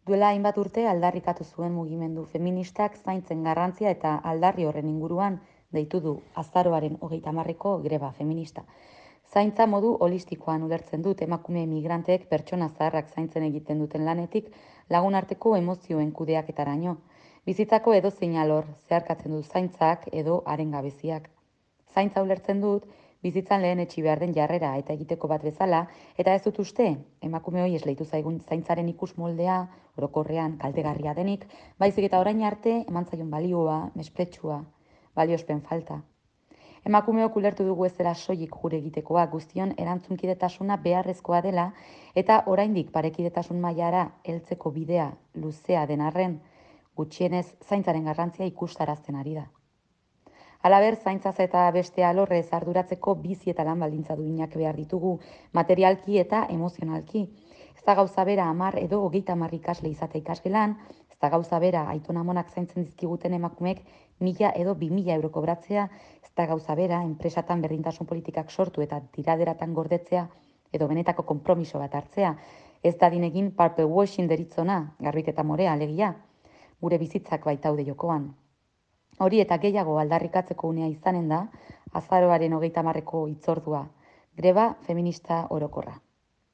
Duela hainbat urte aldarrikatu zuen mugimendu feministak zaintzen garrantzia eta aldarri horren inguruan deitu du azaroaren 30ko greba feminista. Zaintza modu holistikoan ulertzen dut emakume migranteek pertsona zaharrak zaintzen egiten duten lanetik lagun arteko emozioen kudeaketaraino. Bizitzako edozein alor zeharkatzen du zaintzak edo haren gabeziak. Zaintza ulertzen dut, bizitzan lehen etxi behar den jarrera eta egiteko bat bezala, eta ez dut uste, emakume hoi esleitu zaigun zaintzaren ikus moldea, orokorrean kaltegarria denik, baizik eta orain arte eman zaion balioa, mespretsua, baliospen falta. Emakumeok ulertu dugu ez dela soilik gure egitekoa, guztion erantzunkidetasuna beharrezkoa dela eta oraindik parekidetasun mailara heltzeko bidea luzea den arren, gutxienez zaintzaren garrantzia ikustarazten ari da. Halaber, zaintzaz eta beste alorrez arduratzeko bizi eta lan baldintza duinak behar ditugu, materialki eta emozionalki. Ez da gauza bera 10 edo 30 ikasle izate ikasgelan, ez da gauza bera aiton-amonak zaintzen dizkiguten emakumeek 1000 edo 2000 euro kobratzea, ez da gauza bera enpresatan berdintasun politikak sortu eta tiraderatan gordetzea edo benetako konpromiso bat hartzea. Ez dadin egin purple washing deritzona, garbiketa morea alegia, gure bizitzak baitaude jokoan. Hori eta gehiago aldarrikatzeko unea izanen da, azaroaren 30ko hitzordua, greba feminista orokorra.